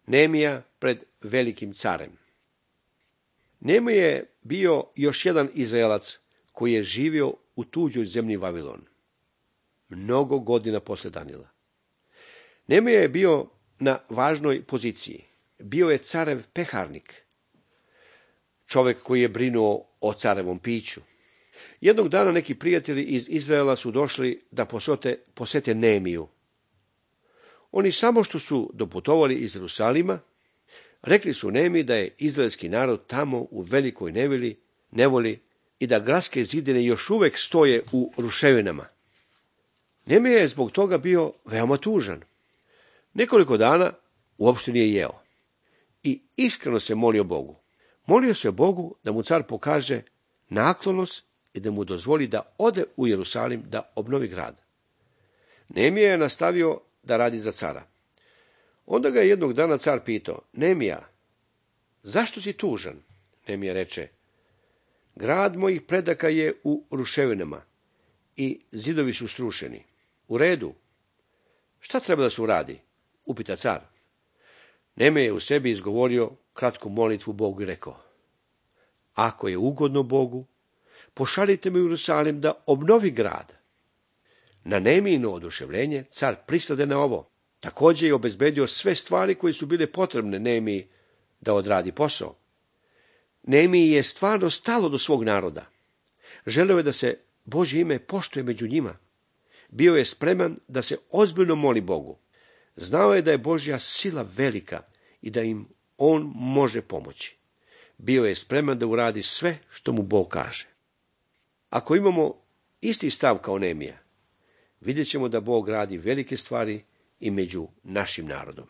Neemija pred velikim carem. Neemija je bio još jedan Izraelac koji je živio u tuđoj zemlji Vavilon. Mnogo godina posle Danila. Neemija je bio na važnoj poziciji. Bio je carev peharnik. Čovjek koji je brinuo o carevom piću. Jednog dana neki prijatelji iz Izraela su došli da posete Neemiju. Oni samo što su doputovali iz Jerusalima, rekli su Neemiji da je izraelski narod tamo u velikoj nevoli i da gradske zidine još uvek stoje u ruševinama. Neemija je zbog toga bio veoma tužan. Nekoliko dana uopšte nije jeo i iskreno se molio Bogu. Molio se Bogu da mu car pokaže naklonost i da mu dozvoli da ode u Jerusalim da obnovi grad. Neemija je nastavio da radi za cara. Onda ga je jednog dana car pitao: Neemija, zašto si tužan? Neemija reče: grad mojih predaka je u ruševinama i zidovi su srušeni. U redu. Šta treba da se uradi? Upita car. Neemija je u sebi izgovorio kratku molitvu Bogu i rekao: ako je ugodno Bogu, pošaljite me u Jerusalim da obnovi grad. Na Neemijino oduševljenje car pristade na ovo. Također je obezbedio sve stvari koje su bile potrebne Neemiji da odradi posao. Neemiji je stvarno stalo do svog naroda. Želeo je da se Božje ime poštuje među njima. Bio je spreman da se ozbiljno moli Bogu. Znao je da je Božja sila velika i da im on može pomoći. Bio je spreman da uradi sve što mu Bog kaže. Ako imamo isti stav kao Neemija, vidjet ćemo da Bog radi velike stvari i među našim narodom.